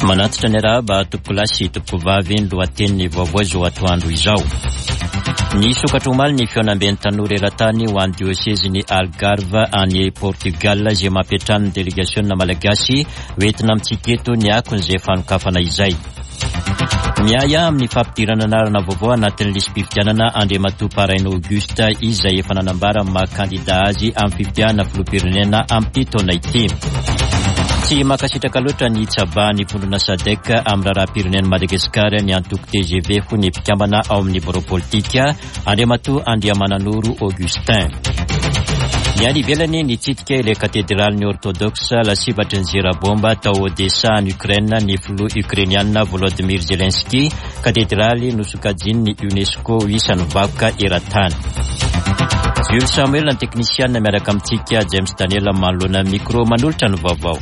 Manatitra ny arahaba tompokolahy sy tompokovavy ny lohatenin'ny vaovao izao atoandro izao. Nisokatra omaly ny fihaonamben'ny tanora eran-tany ho an'ny diosezin'i Algarve any Portugal izay mampiantrano ny delegasiona malagasy hoentina amintsika eto ny akon'izay fanokafana izay. Miahiahy amin'ny fampidirana anarana vaovao anatin'ny lisi-pifidianana Andriamatoa Paraina Auguste izay efa nanambara ny maha kandida azy amin'ny fifidianana filoham-pirenena amin'ity taona ity. Tsy mankasitraka loatra ny hitsabahan'ny vondrona Sadec amin'ny raharaham-pirenen'i Madagasikara ny antoko tgv hoy ny mpikambana ao amin'ny birao politika Andriamatoa Andriamananoro Augustin. Ny any ivelany nitsidika ilay katedralin'ny Ortodoksa lasibatry ny zera baomba tao Odessa any Ukraine ny filoha Ukrainiana Volodymyr Zelensky, katedraly nosokajian'ny UNESCO ho isan'ny vakoka eran-tany. Jules Samuel ny teknisiana miaraka amintsika James Daniel manoloana ny micro manolotra ny vaovao.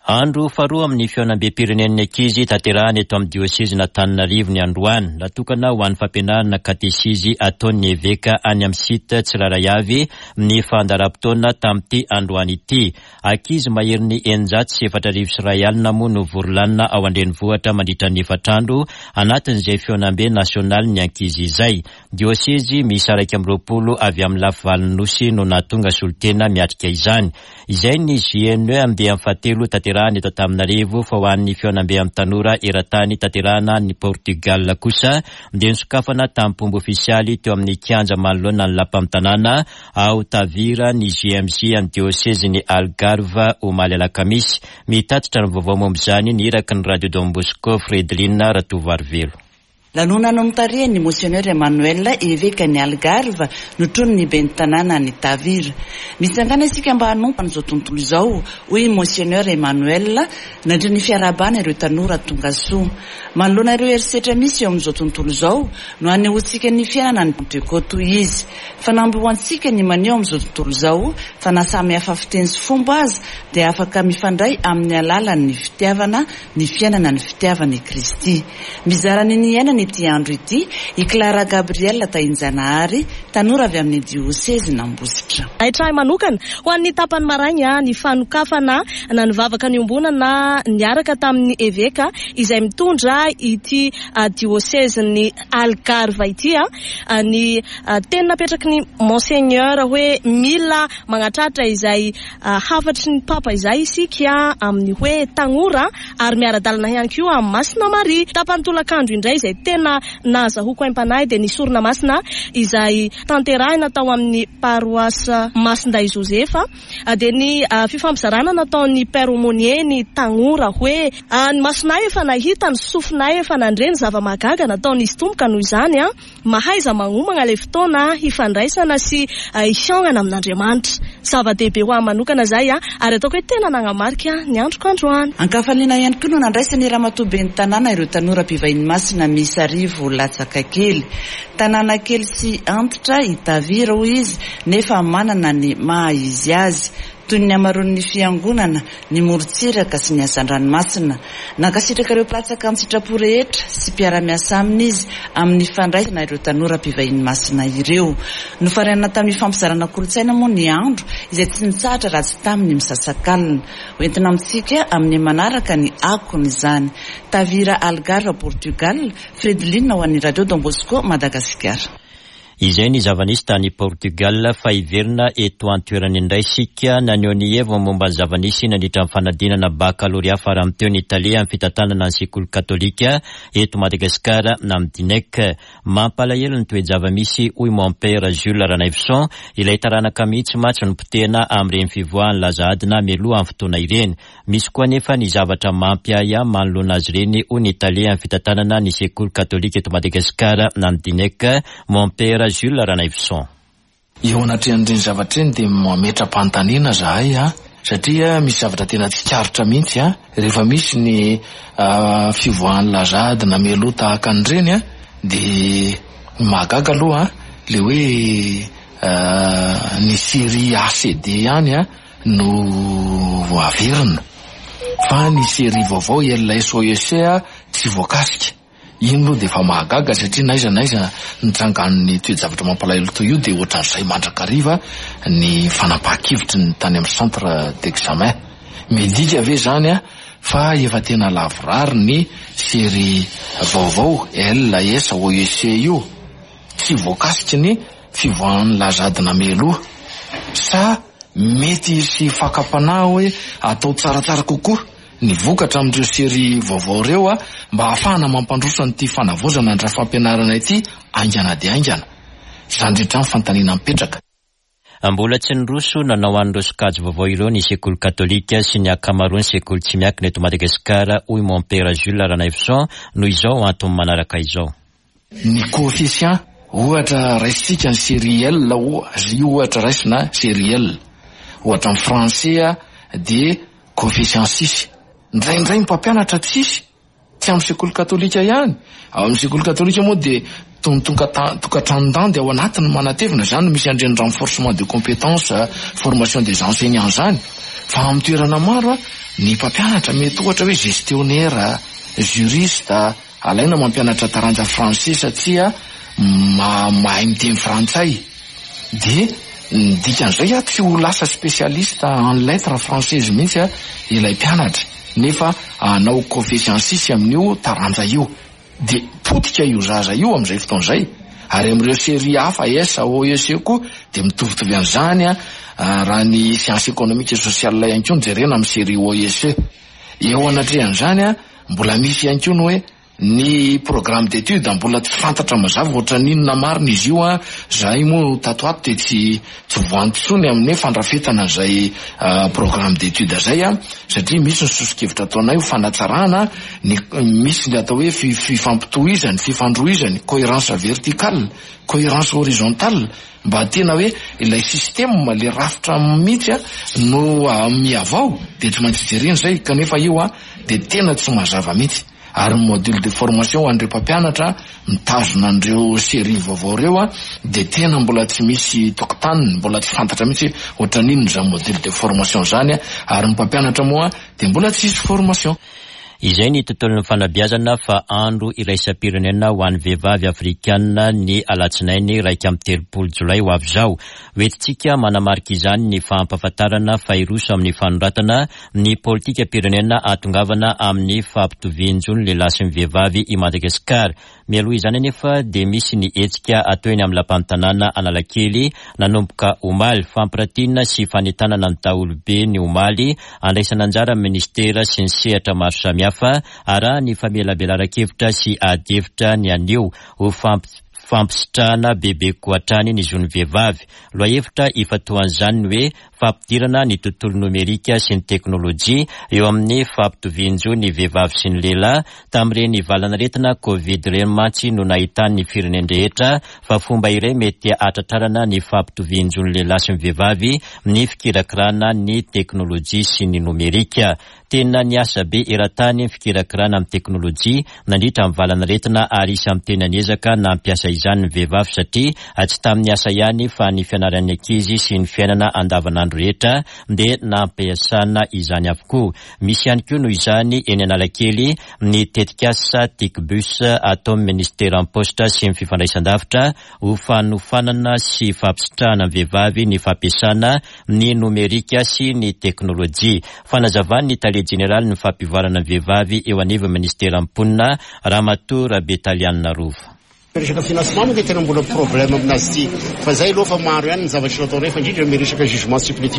Andro faharoa amin'ny fihaonambem-pirenen'ny ankizy tanterahana eto amin'ny diosezin'Antananarivo ny androany. Natokana ho an'ny fampianarana katesizy ataon'ny eveka any amin'ny site tsirairay avy ny fandaharam-potoana tamin'ity androany ity. Ankizy maherin'ny 4106 moa no vory lanona ao an-drenivohitra mandritra ny efatra andro anatin'izay fihaonambe nasionalin'ny ankizy izay. Diosezy miisa 21 avy amin'ny lafivalon'ny Nosy no nahatonga solontena miatrika izany. Izay ny JNE andiany fahatelo tanterahana eto Antananarivo fa ho an'ny fihaonambe amin'ny tanora eran-tany tanterahana any Portugal kosa dia nosokafana tamim-pomba ofisialy teo amin'ny kianja manoloana ny lapan'ny tanàna ao Tavira ny JMJ an'ny diosezin'i Algarve omaly alakamisy. Mitatitra ny vaovao momba izany ny iraky ny Radio Don Bosco Fredeline Ratovoarivelo. Lanonana notarihan'ny Monseigneur Emmanuel, Evekan'i Algarve, notronin'ny Ben'ny tanàna any Tavira. Mitsangàna isika mba hanompo an'izao tontolo izao, hoy i Monseigneur Emmanuel, nandritra ny fiarahabana ireo tanora tonga soa. Manoloana ireo herisetra misy eo amin'izao tontolo izao, no hanehoantsika ny fiainana ny Pantekoty, hoy izy. Fanamby ho antsika ny maneho amin'izao tontolo izao fa na samy hafa fiteny sy fomba aza dia afaka mifandray amin'ny alalan'ny fitiavana ny fiainana ny fitiavan' i Kristy. Mizara ny niainany ity andro ity i Clara Gabrielle Tahinjanahary, tanora avy amin'ny diosezin'Ambositra. Naitra ahy manokana, ho an'ny tapany maraina, ny fanokafana na ny vavaka niombonana niaraka tamin'ny eveka izay mitondra ity diosezin'i Algarve ity, ny teny napetraky ny Monseigneur hoe mila magnatratra izay Hafatry ny Papa izay isika amin'ny hoe Tagnora ary miara-dalana ihany koa amin'i Masina Maria. Tapany tolakandro indray izay tena nahazahoako aim-panahy dia ny sorona masina izay tanterahina tao amin'ny Paroisse Masindahy Josefa dia ny fifampizarana nataon'ny Père Aumônier ny Tagnora hoe, Ny masonay efa nahita, ny sofinay efa nandre ny zava-mahagaga nataon'izy Tompo ka noho izany Mahaiza magnomagna ilay fotoana hifandraisana sy hihaonana amin'Andriamanitra. Zava-dehibe ho ahy manokana izay ary ataoko hoe tena nagnamarika ny androko androany. Ankafaliana ihany koa no nandraisan'i Ramatoa Ben'ny Tanàna ireo tanora mpivahiny masina miisa 1000 latsaka kely. Tanàna kely sy antitra i Tavira hoy izy nefa manana ny maha izy azy. Toy ny hamaroan'ny fiangonana, ny morontsiraka sy ny hazandranomasina. Nankasitraka ireo mpilatsaka an-tsitrapo rehetra sy mpiara-miasa aminy izy amin'ny fandraisana ireo tanora mpivahiny masina ireo. Nofaranana tamin'ny fampizarana kolontsaina moa ny andro izay tsy nitsahatra raha tsy tamin'ny misasakalina. Hoentina amintsika amin'ny manaraka ny akon'izany. Tavira Algarve, Portugal, Fredeline ho an'ny Radio Don Bosco Madagasikara. Izay ny zava-nisy tany Portugal fa hiverina eto an-toerana indray isika. Naneho ny heviny momba ny zava-nisy nandritra ny fanadinana bakalorea farany teo ny tale amin'ny fitantanana ny sekoly katolika eto Madagasikara na ny Dinec. Mampalahelo ny toe-java-misy hoy Mompera Jules Ranaivoson, ilay taranaka mihitsy mantsy no potehina amin'ireny fivoahan'ny laza adina mialoha ny fotoana ireny. Misy koa anefa ny zavatra mampiahiahy manoloana azy ireny, hoy ny tale amin'ny fitantanana ny sekoly katolika eto Madagasikara na ny Dinec, Mompera Jules Ranaivoson. Eo anatrehan'ireny zavatra ireny dia mametra-panontaniana zahay a, satria misy zavatra tena tsikaritra mihitsy a, rehefa misy ny fivoahan'ny laza adina mialoha tahaka an'ireny a, dia ny mahagaga aloha le hoe ny série A C D ihany a, no averina fa ny série vaovao LSOEC tsy voakasika. Iny aloha dia efa mahagaga satria n'aiza n'aiza nitrangan'ny toe-javatra mampalahelo toy io dia ohatran'izay mandrakariva ny fanapahan-kevitry ny tany amin'ny centre d'examen. Midika ve izany fa efa tena lavorary ny série vaovao L, S, O, E, C io? Tsy voakasiky ny fivoahan'ny lazadina mialoha? Sa mety hisy fakam-panahy hoe atao tsaratsara kokoa ny vokatra amin'ireo série vaovao ireo mba hahafahana mampandroso an'ity fanavaozana ny rafi-pampianarana ity haingana dia haingana? Izany rehetra izany fanontaniana mipetraka. Mbola tsy niroso nanao an'ireo sokajy vaovao ireo ny sekoly katolika sy ny ankamaroan'ny sekoly tsy miankina eto Madagasikara, hoy Mompera Jules Ranaivoson, noho izao antony manaraka izao. Ny coefficient, ohatra raisintsika ny série L oa, io ohatra raisina série L, ohatra ny français dia coefficient six, indraindray ny mpampianatra tsisy, Tsy amin'ny sekoly katolika ihany. Ao amin'ny sekoly katolika moa dia toy ny tokantranon-dandy ao anatiny manatevina, izany no misy an'ireny renforcement de compétences, formation des enseignants izany. Fa amin'ny toerana maro, ny mpampianatra mety ohatra hoe gestionnaire, juriste, alaina mampianatra taranja français satria mahay miteny frantsay. Dia ny dikan'izay tsy ho lasa spécialiste en lettres françaises mihitsy ilay mpianatra nefa hanao coefficient six amin'io taranja io. Dia potika io zaza io amin'izay fotoana izay. Ary amin'ireo série hafa S, O, E, C koa dia mitovitovy an'izany raha ny sciences économiques et sociales ihany koa no jerena amin'ny série O, E, C. Eo anatrehan'izany mbola misy ihany koa ny hoe Ny programme d'étude mbola tsy fantatra mazava ohatran'ny inona marina izy io an, zahay moa tato ato dia tsy tsy voanto intsony amin'ny hoe fandrafetana an'izay programme d'étude zay an, satria misy ny soso-kevitra ataonay ho fanatsarana ny misy ny atao hoe fifampitohizany, fifandrohizany, cohérence verticale, cohérence horizontale, mba tena hoe ilay système, ilay rafitra mihitsy an no mihavao dia tsy maintsy jerena izay kanefa io an dia tena tsy mazava mihitsy. Ary ny module de formation ho an'ireo mpampianatra mitazona an'ireo série vaovao ireo dia tena mbola tsy misy tokotaniny, mbola tsy fantatra mihitsy hoe ohatran'inona izany module de formation izany ary ny mpampianatra moa dia mbola tsy hisy formation. Izay ny tontolon'ny fanabeazana fa andro iraisam-pirenena ho an'ny vehivavy afrikanina ny alatsinainy 31 jolay ho avy izao. Hoentintsika manamarika izany ny fampahafantarana fa hiroso amin'ny fanoratana ny politikam-pirenena hahatongavana amin'ny fampitovian-jo ny lehilahy sy ny vehivavy i Madagasikara. Mialoha izany anefa dia misy ny hetsika atao eny amin'ny lapan'ny tanàna Analakely nanomboka omaly. Fampiratiana sy fanentanana ny daholobe ny omaly, andraisana anjara ny minisitera sy ny sehatra maro samihafa, arahan'ny famelabelaran-kevitra sy adihevitra ny anio ho fampisitrahana bebe kokoa hatrany ny zon'ny vehivavy. Lohahevitra ifantohan'izany ny hoe fampidirana ny tontolo nomerika sy ny teknolojia eo amin'ny fampitovian-jo ny vehivavy sy ny lehilahy. Tamin'ireny valan'aretina Covid ireny mantsy no nahitan'ny firenen-drehetra fa fomba iray mety hahatratrarana ny fampitovian-jo ny lehilahy sy ny vehivavy ny fikirakirana ny teknolojia sy ny nomerika. Tena niasa be eran-tany ny fikirakirana amin'ny teknolojia nandritra ny valan'aretina ary isan'ny tena niezaka nampiasa izany ny vehivavy satria tsy tamin'ny asa ihany fa ny fianaran'ny ankizy sy ny fiainana andavanandro rehetra dia nampiasana izany avokoa. Misy ihany koa noho izany eny Analakely ny tetikasa Ticbus ataon'ny Minisiteran'ny Paositra sy ny Fifandraisandavitra ho fanofanana sy fampisitrahana ny vehivavy ny fampiasana ny nomerika sy ny teknolojia. Fanazavan'ny tale jeneralin'ny fampivoarana ny vehivavy eo anivon'ny minisiteran'ny mponina, Ramatoa Rabetalianina Rova. Resaka financement moa dia tena mbola problème aminazy ity fa zay aloha fa maro ihany ny zavatra nataonay fa indrindra ny resaka jugement supplétif.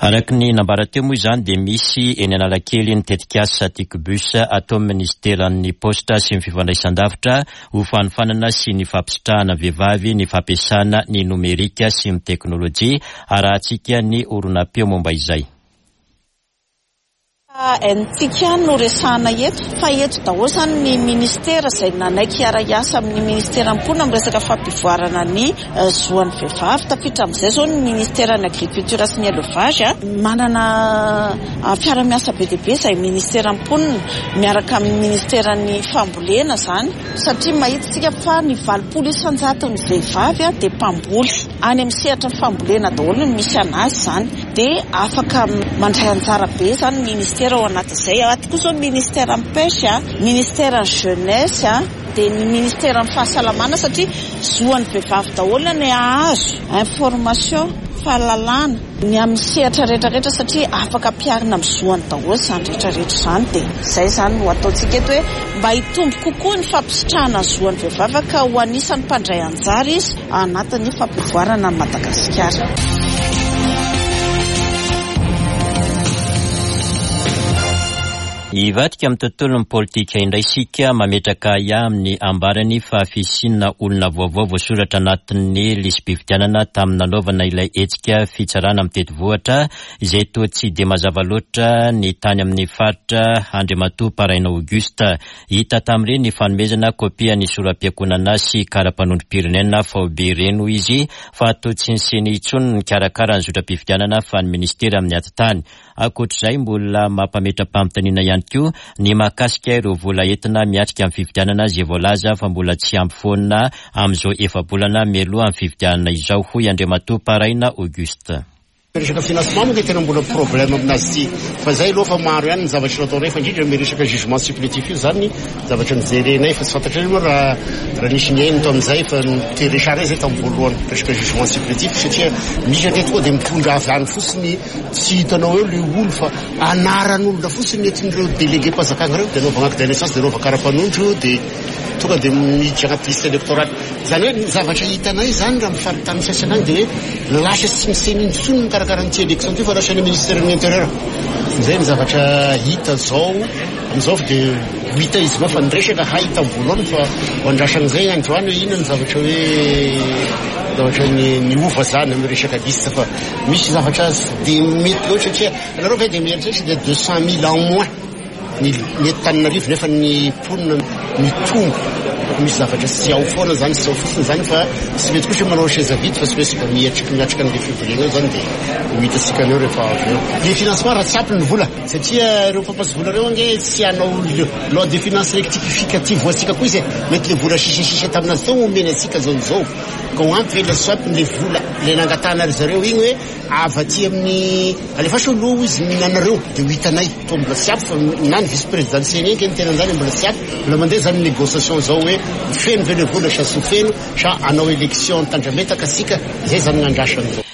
Araka ny nambara teo moa izany dia misy eny Analakely ny tetikasa Ticbus ataon'ny minisiteran'ny Paositra sy ny Fifandraisandavitra ho fanofanana sy ny fampisitrahana vehivavy ny fampiasana ny nomerika sy ny teknolojia. Arahantsika ny horonam-peo momba izay. NTIC ihany no resahana eto fa eto daholo izany ny ministera izay nanaiky hiara-hiasa amin'ny ministeran'ny mponina amin'ny resaka fampivoarana ny zoan'ny vehivavy. Tafiditra amin'izay izao ny ministeran'ny agriculture sy ny élevage. Manana fiara-miasa be dia be izahay ministeran'ny mponina miaraka amin'ny ministeran'ny fambolena izany satria mahita isika fa ny 80 isan-jaton'ny vehivavy dia mpamboly. Any amin'ny sehatra fambolena daholo no misy an'azy izany. Dia afaka mandray anjara be izany ny ministera ao anatin'izay. Ato koa izao ny ministeran'ny pêche, ministeran'ny jeunesse, dia ny ministeran'ny fahasalamana satria zoan'ny vehivavy daholo ny hahazo information, fahalalana, ny amin'ny sehatra rehetra rehetra satria afaka ampiharina amin'ny zoany daholo izany rehetra rehetra izany. Dia izay izany no ataontsika eto hoe mba hitombo kokoa ny fampisitrahana ny zoan'ny vehivavy ka ho anisan'ny mpandray anjara izy anatin'ny fampivoarana an'i Madagasikara. Hivadika amin'ny tontolon'ny politika indray isika, mametraka ahiahy amin'ny ambarany fa fisiana olona vaovao voasoratra anatin'ny lisi-pifidianana tamin'ny nanaovana ilay hetsika fitsarana mitety vohitra izay toa tsy dia mazava loatra ny tany amin'ny faritra Andriamatoa Paraina Auguste. Hita tamin'ireny fanomezana kopia ny sora-piankohonana sy kara-panondrom-pirenena faobe ireny hoy izy fa toa tsy ny Ceni intsony no nikarakara ny zotram-pifidianana fa ny minisitera amin'ny atitany. Ankoatr'izay mbola mampametra-panontaniana ihany koa ny mahakasika ireo vola entina miatrika ny fifidianana izay voalaza fa mbola tsy ampy foana amin'izao efa-bolana mialoha ny fifidianana izao hoy Andriamatoa Paraina Auguste. Resaka financement moa dia tena mbola problème aminazy ity fa zay aloha fa maro ihany ny zavatra nataonay fa indrindra ny resaka jugement supplétif io zany zavatra nijerenay fa tsy fantatray moa raha raha nisy nihaino tamin'izay fa ni-resahanay zay tamin'ny voalohany resaka jugement supplétif satria misy anie tokoa dia mitondra avy any fotsiny tsy hitanao eo le olo fa anaran'olona fotsiny entin'ireo délégué-mpanjakana ireo dia anaovana acte de naissance dia anaovana kara-panondro dia tonga dia miditra anaty liste électorale. Izany hoe ny zavatra hitanay izany raha amin'ny faritany sasany any dia hoe lasa tsy ny ceni intsony no mikarakara an'ity élection ity fa lasa ny ministère ny intérieur. Izay ny zavatra hita izao amin'izao fa dia ho hita izy moa fa ny resaka hay tamin'ny voalohany fa ho andrasana izay androany hoe inona ny zavatra hoe zavatra niova izany amin'ny resaka liste fa misy zavatra tsy dia mety loatra satria ianareo ve dia mieritreritra dia 200 000 en moins ny ny eto Tananarivo nefa ny mponina mitombo misy zavatra tsy ao foana zany tsy ao fotsiny zany fa tsy mety kosa manao chaise vide fa tsy maintsy mba miatrika miatrika an'le fivoriana eo zany dia ho hitantsika an'eo rehefa avy eo. Le financement raha tsy ampy ny vola satria ireo mpampiasa vola ireo ange tsy hanao loi de finance rectificative ho antsika koa izy e, mety le vola sisasisa taminazy teo omeny antsika zao izao ka ho ampy ve le tsy ampy le vola le nangatahana ry zareo igny hoe Avy aty amin'ny alefaso aloha hozy ny anareo dia ho hitanay. Toa mbola tsy ampy fa na ny vice président ny CENI ange niteny an'izany mbola tsy ampy. Mbola mandeha izany négociation izao hoe ho feno ve ilay vola sa tsy ho feno sa hanao élection tandrametaka isika. Izay izany ny andrasana izao.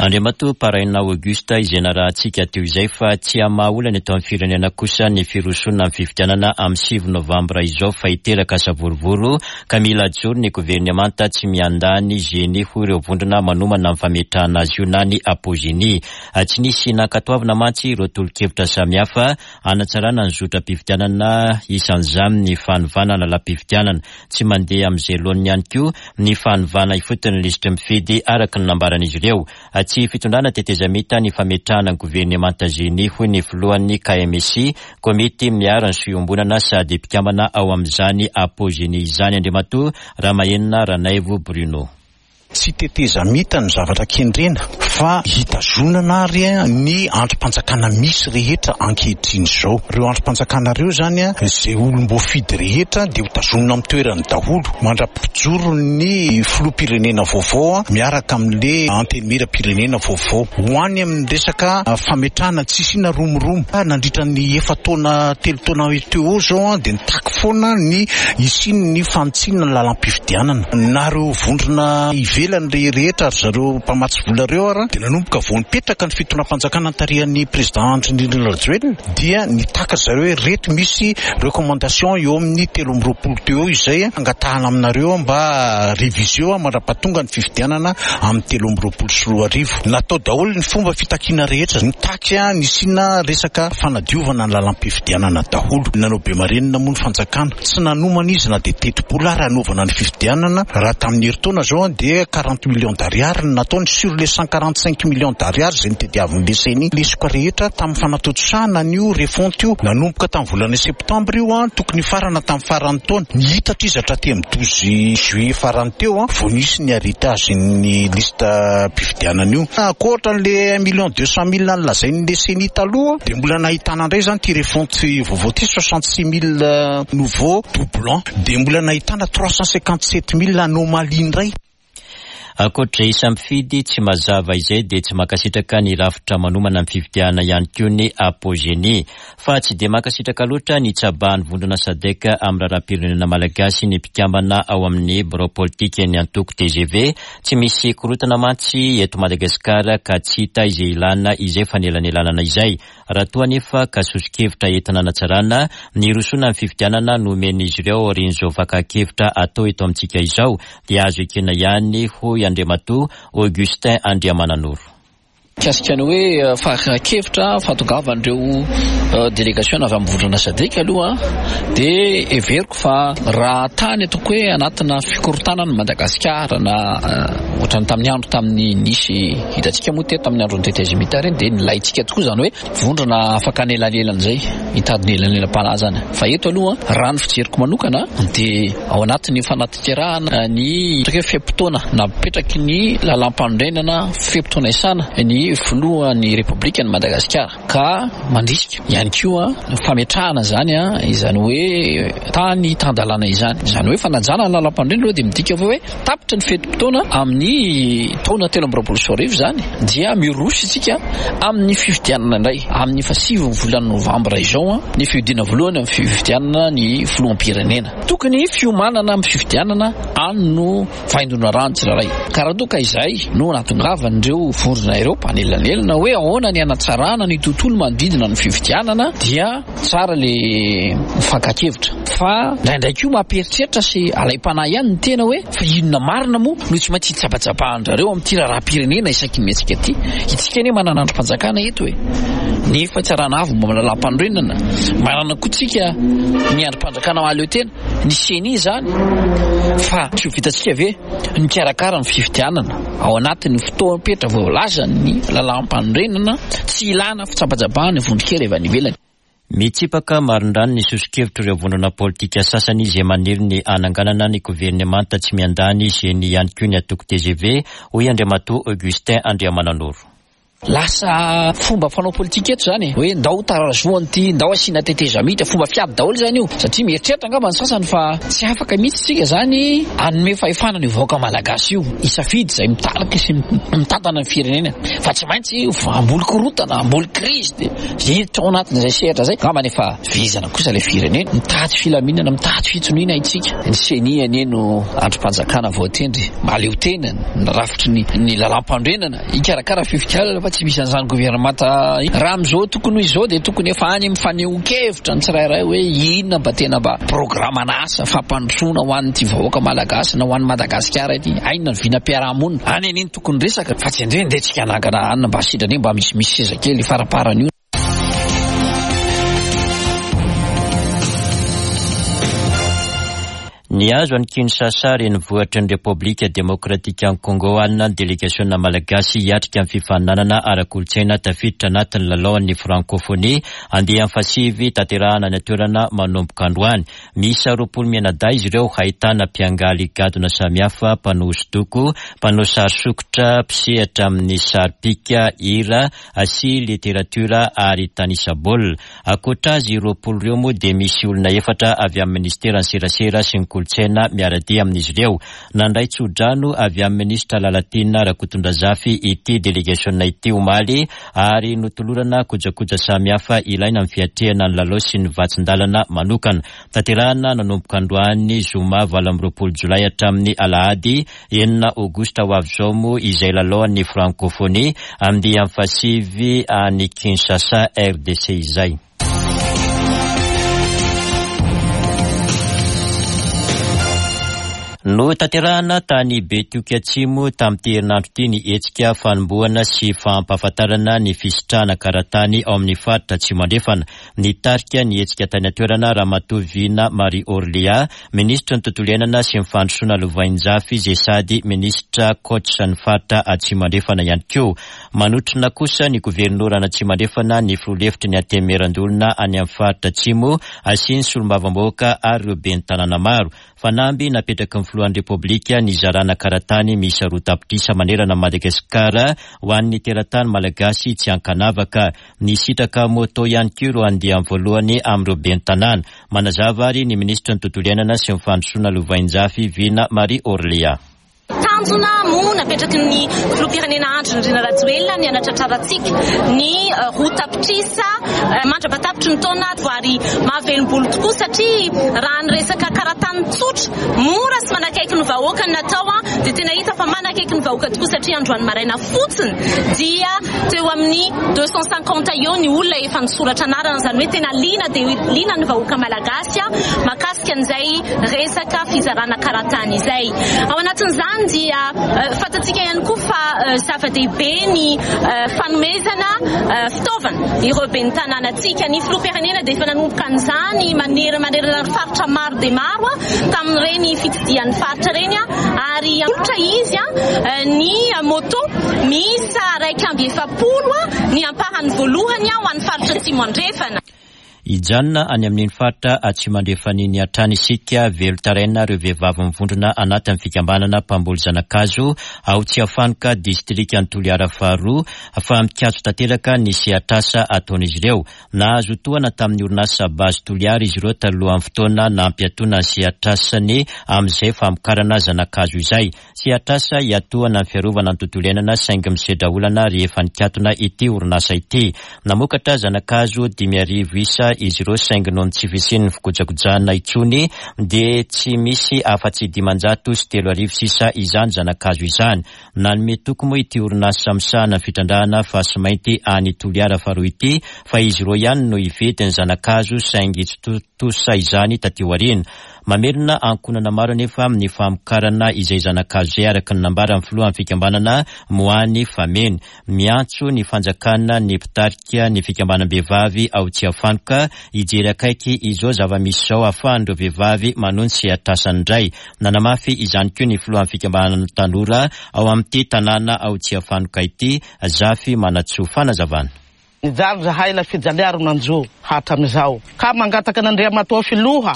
Andriamatoa Paraina Auguste izay narahantsika teo izay fa tsy hamaha olana eto amin'ny firenena kosa ny firosoana amin'ny fifidianana amin'ny 9 novambra izao fa hiteraka savorovoro ka mila ajoro ny governemanta tsy miandany Genie hoy ireo vondrona manomana ny fametrahana azy io na ny Apogenie. Tsy nisy nankatoavina mantsy ireo tolo-kevitra samihafa hanatsarana ny zotram-pifidianana isan'izany ny fanovana lalam-pifidianana. Tsy mandeha amin'izay laoniny ihany koa ny fanovana ifotony ny lisitry mifidy araka ny nambaran'izy ireo. Tsy fitondrana tetezamita ny fametrahana ny governemanta Genie hoy ny filohan'ny KMSI, Komity miaro ny soa iombonana sady mpikambana ao amin'izany Apogenie izany Andriamatoa Ramahenina Ranaivo Bruno. Tsy tetezamita ny zavatra kendrena fa hitazonana ary ny andrim-panjakana misy rehetra ankehitriny izao. Ireo andrim-panjakana ireo izany, izay olom-boafidy rehetra dia ho tazonina amin'ny toerany daholo mandra-pijoro ny filoham-pirenena vaovao miaraka amin'ilay antenimieram-pirenena vaovao. Ho any amin'ny resaka fametrahana tsy hisiana romoromo. Nandritra ny efa-taona, telo taona teo eo izao dia nitaky foana ny hisian'ny fanitsiana ny lalam-pifidianana. Na ireo vondrona ivelany rehetra ry zareo mpamatsy vola ireo ary dia nanomboka vao nipetraka ny fitondram-panjakana notarihan'ny Président Andry Nirina Rajoelina dia nitaky ry zareo hoe ireto misy recommandation eo amin'ny 23 teo eo izay angatahana aminareo mba réviser mandra-pahatonga ny fifidianana amin'ny 2023. Natao daholo ny fomba fitakiana rehetra, nitaky ny hisiana resaka fanadiovana ny lalam-pifidianana daholo. Nanao be marenina moa ny fanjakana, tsy nanomana izy na dia tetibola ary hanaovana ny fifidianana, raha tamin'ny herintaona izao dia 40 millions d'ariary no nataony sur les 145 millions d'ariary izay notediavin'ny ceni. Lesoka rehetra tamin'ny fanatontosana an'io refonte io, nanomboka tamin'ny volana septambra io, tokony hifarana tamin'ny faran'ny taona, nihitatra izy hatraty amin'ny 12 juillet farany teo vao nisy ny héritage ny liste mpifidianana io. Ankoatra an'le un million deux cent mille nolazain'le ceni taloha dia mbola nahitana indray izany ity refonte vaovao ity 66 mille nouveaux doublons dia mbola nahitana 357 mille anomalie indray. Ankoatra izay mpifidy tsy mazava izay dia tsy mankasitraka ny rafitra manomana ny fifidianana ihany koa ny Apogenie. Fa tsy dia mankasitraka loatra ny hitsabahan'ny vondrona Sadec amin'ny raharaham-pirenena malagasy ny mpikambana ao amin'ny birao politikan'ny antoko tgv. Tsy misy korontana mantsy eto Madagasikara ka tsy hita izay ilana izay fanelanelanana izay. Raha toa anefa ka soso-kevitra entina hanatsarana ny hirosoana amin'ny fifidianana no omen'izy ireo aorian'izao fakan-kevitra atao eto amintsika izao dia azo ekena ihany, hoy Andriamatoa Augustin Andriamananoro. Mikasika ny hoe fakan-kevitra fahatongavan'ireo delegasiona avy amin'ny vondrona Sadc aloha dia heveriko fa raha tany ataoko hoe anatina fikorontanana Madagasikara na ohatran'ny tamin'ny andro tamin'ny nisy hitantsika moa teto tamin'ny andron'ny tetezamita ireny dia nilaintsika tokoa izany hoe vondrona afaka anelanelana izay hitady ny elanelam-panahy izany. Fa eto aloha raha ny fijeriko manokana dia ao anatin'ny fanatanterahana ny ataoko hoe fe-potoana napetraky ny lalàmpanorenana fe-potoana isana ny filohan'ny Repoblikan'i Madagasikara. Ka mandrisika ihany koa ny fametrahana izany, izany hoe tany tan-dalàna izany. Izany hoe fanajana ny lalàmpanorenana aloha dia midika fa hoe tapitra ny fetim-potoana amin'ny taona 2023 izany dia miroso isika amin'ny fifidianana indray amin'ny fahasivin'ny volana novambra izao ny fihodinana voalohany amin'ny fifidianana ny filoham-pirenena. Tokony fiomanana amin'ny fifidianana any no Fahendrona rano tsirairay. Ka raha toa ka izay no nahatongavan'ireo vondrona ireo mpanelanelana hoe ahoana ny hanatsarana ny tontolo manodidina ny fifidianana dia tsara le mifankan-kevitra. Fa indraindray koa mampieritreritra sy alaim-panahy ihany ny tena hoe fa inona marina moa no tsy maintsy hitsabatsabahan-drareo amin'ity raharaham-pirenena isaky ny mihetsika ity? Itsika anie manana andrim-panjakana eto e! Ny fitsarana avo momba ny lalàmpanorenana, manana koa tsika ny andrim-panjakana mahaleo tena. Ny ceni izany fa tsy ho vitantsika ve ny mikarakara ny fifidianana ao anatin'ny fotoam-petra voalazan'ny lalàmpanorenana tsy ilana fitsabatsabahana vondron-kery avy any ivelany. Mitsipaka marindrano ny soso-kevitr'ireo vondrona politika sasany izay maniry ny hananganana ny governemanta tsy miandany ceni ihany koa ny antoko tgv, hoy Andriamatoa Augustin Andriamananoro. Lasa fomba fanao politika eto izany e, hoe ndao tarazohana ity, ndao asiana tetezamita, fomba fiady daholo izany io, satria mieritreritra angamba ny sasany fa tsy afaka mihitsy isika izany hanome fahefana an'io vahoaka malagasy io hisafidy izay mitarika sy mitantana ny firenena fa tsy maintsy hamboly korontana, hamboly krizy dia hiditra ao anatin'izay sehatra izay, angamba efa vizana kosa ilay firenena, mitady filaminana, mitady fitoniana isika, ny ceni anie no andrim-panjakana voatendry mahaleo tena, ny rafitry ny lalàmpanorenana. Hikarakara fifidianana fa tsy misy an'izany governemanta. Raha amin'izao tokony ho izao dia tokony efa any amin'ny fanehoan-kevitra ny tsirairay hoe inona mba tena mba programan'asa fampandrosoana ho an'ity vahoaka malagasy na ho an'i Madagasikara ity. Ainona ny vinam-piarahamonina. Any anie no tokony resaka fa tsy andre ndeha tsika hanangana anona mba sitrany mba misimisy seza kely faraparany io. Nihazo an'i Kinshasa, renivohitry ny Repoblika Demokratikan'i Congo alina ny delegasiona malagasy hiatrika ny fifaninanana ara-kolontsaina tafiditra anatin'ny lalaon'ny Frankôfônia andiany fahasivy tanterahana any an-toerana manomboka androany. Miisa 20 mianadahy izy ireo, ahitana mpiangaly gadona samihafa, mpanao hosodoko, mpanao sary sokitra, mpisehatra amin'ny sary pika, hira, sy literatiora ary tanisa baolina. Ankoatra azy 20 ireo moa dia misy olona efatra avy amin'ny minisiteran'ny serasera sy ny kolontsaina miara-dia amin'izy ireo. Nandray tso-drano avy amin'ny minisitra Lalatiana Rakotondrazafy ity delegasiona ity omaly ary notolorana kojakoja samihafa ilaina amin'ny fiatrehana ny lalao sy ny vatsin-dalana manokana. Tanterahina nanomboka androany zoma 28 jolay hatramin'ny alahady 6 aogositra ho avy izao moa izay lalaon'ny Francophonie andiany fahasivy any Kinshasa, RDC izay. Notanterahina tany Betioky Atsimo tamin'ity herinandro ity ny hetsika fanombohana sy fampahafantarana ny fisitrahana karatany ao amin'ny faritra Atsimo Andrefana. Nitarika ny hetsika tany an-toerana Ramatoa Vina Marie Orléa, Minisitry ny Tontolo iainana sy ny Fandrosoana Lovainjafy izay sady Minisitra Coach ny faritra Atsimo Andrefana ihany koa. Manotrona kosa ny Governoran'Atsimo Andrefana, ny Filoha lefitry ny Antenimierandoholona any amin'ny faritra Atsimo sy ny Solombavambahoaka ary ireo Ben'ny tanàna maro. Fanamby napetraky ny Filohan'ny Repoblika ny hizarana karatany miisa 2 tapitrisa manerana an'i Madagasikara ho an'ny teratany malagasy tsy ankanavaka. Nisitraka moto ihany koa ireo andiany voalohany amin'ireo ben'ny tanàna. Manazava ary ny minisitry ny Tontolo iainana sy ny fandrosoana lovainjafy, Vina Marie Orléa. Tanjona moa napetraky ny filoham-pirenena Andry Nirina Rajoelina ny hanatratrarantsika ny 2 tapitrisa mandra-patapitry ny taona ary mahavelom-bolo tokoa satria raha ny resaka karatany tsotra, mora sy manakaiky ny vahoaka no natao dia tena hita fa manakaiky ny vahoaka tokoa satria androany maraina fotsiny dia teo amin'ny 250 eo ny olona efa nisoratra anarana, izany hoe tena liana dia liana ny vahoaka malagasy mahakasika an'izay resaka fizarana karatany izay. Ao anatin'izany dia fantatsika ihany koa fa zava-dehibe ny fanomezana fitaovana ireo ben'ny tanànantsika. Ny filoham-pirenena dia efa nanomboka an'izany manerana ny faritra maro dia maro tamin'ireny fitsidihan'ny faritra ireny ary hanolotra izy ny moto miisa 41 ny ampahany voalohany ho an'ny faritra Atsimo Andrefana. Hijanona any amin'iny faritra Atsimo Andrefana iny hatrany isika, velon-taraina ireo vehivavy mivondrona anatin'ny fikambanana mpamboly zana-kazo ao Tsiafanoka, distrikan'i Toliara faharoa, fa mikatso tanteraka ny sehatr'asa ataon'izy ireo. Nahazo tohana tamin'ny orinasa Base Toliara izy ireo talohan'ny fotoana nampiatoana ny sehatr'asany amin'izay famokarana zana-kazo izay. Sehatr'asa hiatohana ny fiarovana ny tontolo iainana saingy misedra olana rehefa nikatona ity orinasa ity. Namokatra zana-kazo 5000 isa izy ireo saingy noho ny tsy fisian'ny fikojakojana intsony dia tsy misy afa-tsy 3500 sisa izany zana-kazo izany. Nanome toky moa ity orinasa misahana ny fitrandrahana fasimainty any Toliara faharoa ity fa izy ireo ihany no hividy ny zana-kazo saingy tsy tontosa izany taty aoriana. Mamelona ankohonana maro anefa ny famokarana izay zana-kazo izay araka ny nambaran'ny filohan'ny fikambanana Moany Fameno. Miantso ny fanjakana ny mpitarika ny fikambanam-behivavy ao Tsiafanoka hijery akaiky izao zava-misy izao hahafahan'ireo vehivavy manohy ny sehatr'asany indray. Nanamafy izany koa ny filohan'ny fikambanana tanora ao amin'ity tanàna ao Tsiafanoka ity, Zafy Manantsoa. Fanazavana. Nijaly zahay ilay fijalia ro nanjo hatramizao ka mangataka an'Andriamatoa Filoha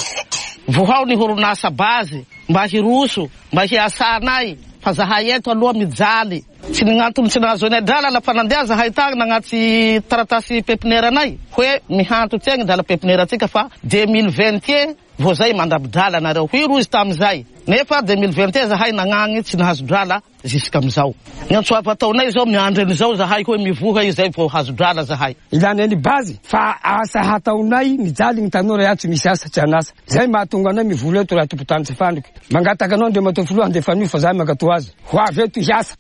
vohao ny horonasa base mba hiroso mba hiasanay fa zahay eto aloha mijaly tsy ny gn'antony tsy nahazoanay drala la fa nandeha zahay tagny nagnatsy taratasy pepinera anay hoe mihanto ty agny drala pepinera atsika fa 2021 vao zay mandraby drala nareo hoy rozy tamizay nefa 2021 zahay nagnagny tsy nahazo drala Jusqu'amizao. Ny antso avo ataonay zao miandry an'izao zahay hoe mivoha izay vao hazo drala zahay. Ilanay ny base fa asa hataonay mijaly ny tanora ihany tsy misy asa tsy an'asa. Zay mahatonga anay mivola eto raha tompotany tsy fandriky. Mangataka anao Andriamatoa Filoha handefa an'io fa zahay mankatoa azy. Ho avy eto hiasa.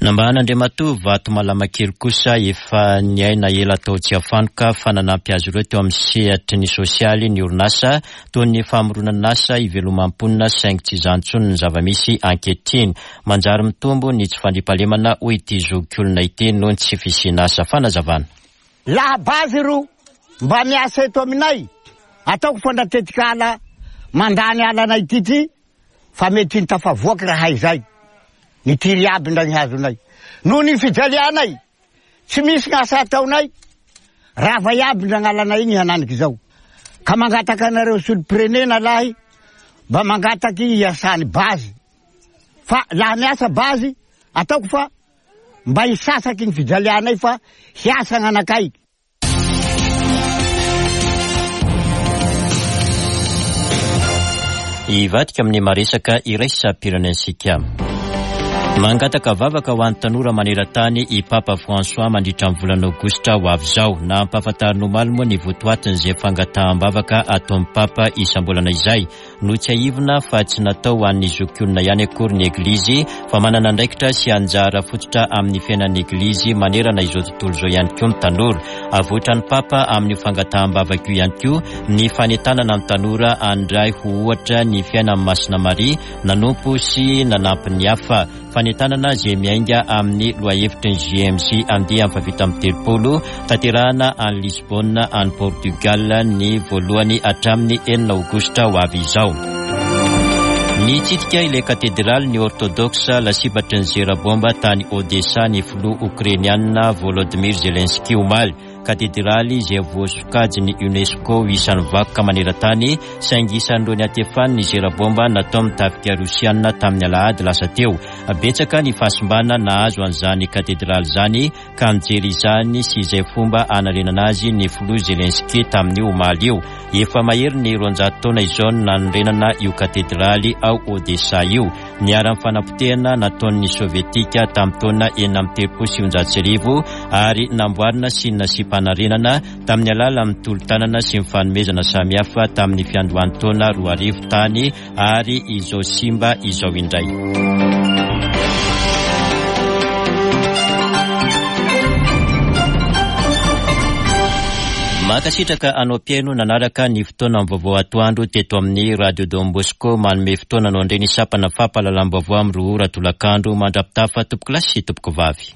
Nambaran'Andriamatoa Vato Malamakely kosa efa niaina ela tao Tsiafanoka fa nanampy azy ireo teo amin'ny sehatry ny sosialy ny orinasa toy ny famoronan'asa iveloman'ny mponina saingy tsy izany intsony ny zava-misy ankehitriny. Manjary mitombo ny tsy fandriampahalemana hoy ity zokiolona ity noho ny tsy fisian'asa. Fanazavana. Laha base ro mba miasa eto aminay, ataoko fa ndra tetikala mandany alanay ty ty fa mety ny tafavoaky raha izay, nitiry aby ndra ny hazonay. Noho ny fijalianay, Tsy misy ny asa ataonay, rava iaby ny ragnalanay igny hananiky zao. Ka mangataka anareo solom-pirenena lahy mba mangataky hiasany base. Fa laha miasa base, ataoko fa mba hisasaky ny fijalianay fa hiasa gn'anakay. Hivadika amin'ny maresaka iraisam-pirenentsika. Mangataka vavaka ho an'ny tanora maneran-tany i Papa François mandritra ny volana aogositra ho avy izao. Nampahafantariny omaly moa ny votoatin'izay fangataham-bavaka ataon'ny Papa isam-bolana izay. Notsiahivina fa tsy natao ho an'ny zokiolona ihany akory ny Eglizy fa manana andraikitra sy anjara fototra amin'ny fiainan'ny Eglizy manerana izao tontolo izao ihany koa ny tanora. Avoitran'ny Papa amin'io fangataham-bavaka io ihany koa ny fanentanana ny tanora handray ho ohatra ny fiainan'i Masina Maria nanompo sy nanampy ny hafa. Fanentanana izay miainga amin'ny lohahevitry ny JMJ andiany faha-37 tanterahana any Lisbonne any Portugal ny voalohany hatramin'ny enina aogositra ho avy izao. Nitsidika ilay katedraly ny Ortodoksa lasibatry ny zera bomba tany Odessa ny filoha Okrainiana Volodymyr Zelensky omaly. Katedraly izay voasokajin'ny Unesco ho isan'ny vakoka maneran-tany, saingy isan'ireo niantefan'ny zera baomba nataon'ny tafika rosiana tamin'ny alahady lasa teo. Betsaka ny fahasimbana nahazo an'izany katedraly izany ka nijery izany sy izay fomba hanarenana azy ny filoha Zelensky tamin'io omaly io. Efa mahery ny 200 taona izao no nanorenana io katedraly ao Odessa io. Niharan'ny fanapotehana nataon'ny Sovietika tamin'ny taona 1936 ary namboarina sy nasiam-panarenana tamin'ny alalan'ny tolo-tanana sy ny fanomezana samihafa tamin'ny fiandohan'ny taona 2000 tany ary izao simba izao indray. Mankasitraka anao mpihaino nanaraka ny fotoana ny vaovao atoandro teto amin'ny Radio Don Bosco. Manome fotoana anao indray ny sampana fampahalalam-baovao amin'ny 2 ora tolakandro. Mandra-pitafa tompokolahy sy tompokovavy.